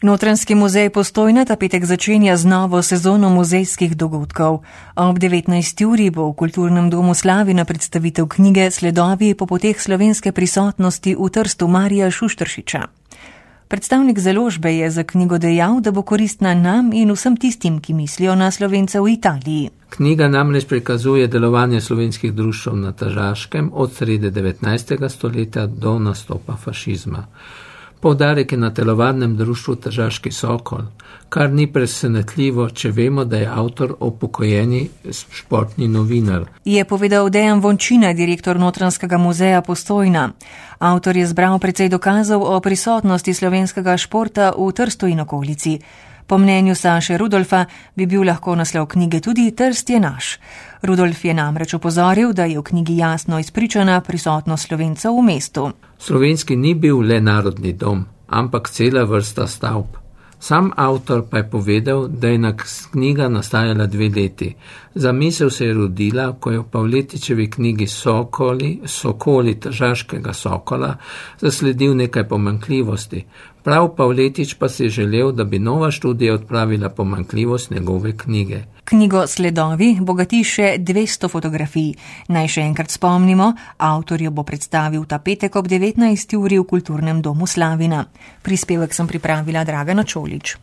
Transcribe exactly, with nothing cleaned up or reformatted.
Notranjski muzej Postojna ta petek začenja z novo sezono muzejskih dogodkov. Ob devetnajsti uri bo v Kulturnem domu Slavina predstavitev knjige Sledovi po poteh slovenske prisotnosti v Trstu Marija Šušteršiča. Predstavnik založbe je za knjigo dejal, da bo koristna nam in vsem tistim, ki mislijo na Slovence v Italiji. Knjiga namreč prikazuje delovanje slovenskih društev na Tržaškem od srede devetnajstega stoletja do nastopa fašizma. Poudarek je na telovadnem društvu Tržaški Sokol, kar ni presenetljivo, če vemo, da je avtor upokojeni športni novinar. Je povedal Dejan Vončina, direktor Notranjskega muzeja Postojna. Avtor je zbral precej dokazov o prisotnosti slovenskega športa v Trstu in okolici. Po mnenju Saše Rudolfa bi bil lahko naslov knjige tudi Trst je naš. Rudolf je namreč opozoril, da je v knjigi jasno izpričana prisotnost Slovencev v mestu. Slovenski ni bil le narodni dom, ampak cela vrsta stavb. Sam avtor pa je povedal, da je knjiga nastajala dve leti. Zamisel se je rodila, ko je v Pavletičevi knjigi Sokoli, Sokoli Tržaškega Sokola zasledil nekaj pomanjkljivosti. Prav Pavletič pa si je želel, da bi nova študija odpravila pomanjkljivost njegove knjige. Knjigo Sledovi bogati še dvesto fotografij. Naj še enkrat spomnimo, avtor jo bo predstavil ta petek ob devetnajsti uri v Kulturnem domu Slavina. Prispevek sem pripravila Dragana Čolić.